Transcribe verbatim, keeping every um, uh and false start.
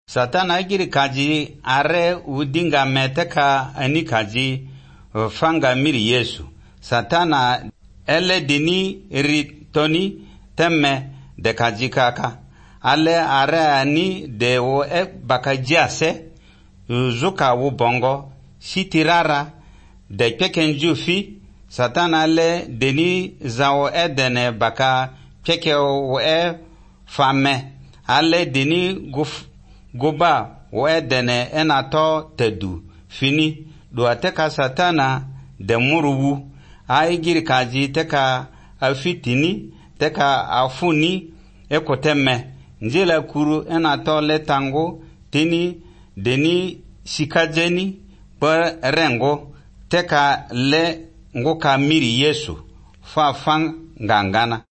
Satana giri kaji are udinga meteka ani kaji fanga miri Yesu. Satana ele dini ritoni temme de kaji kaka. Ale are ani de wo e bakajiase zuka wu bongo sitirara de pekenju fi. Satana le deni zao edene baka peke wo e fame. Ale deni guf goba wo edene enato tedu fini do ateka Satana de muruwu ai giri kaji teka afitini teka afuni ekoteme njela kuru enato letango tini deni sikajeni per rengo teka le ngoka miri Yesu fa fang ngangana.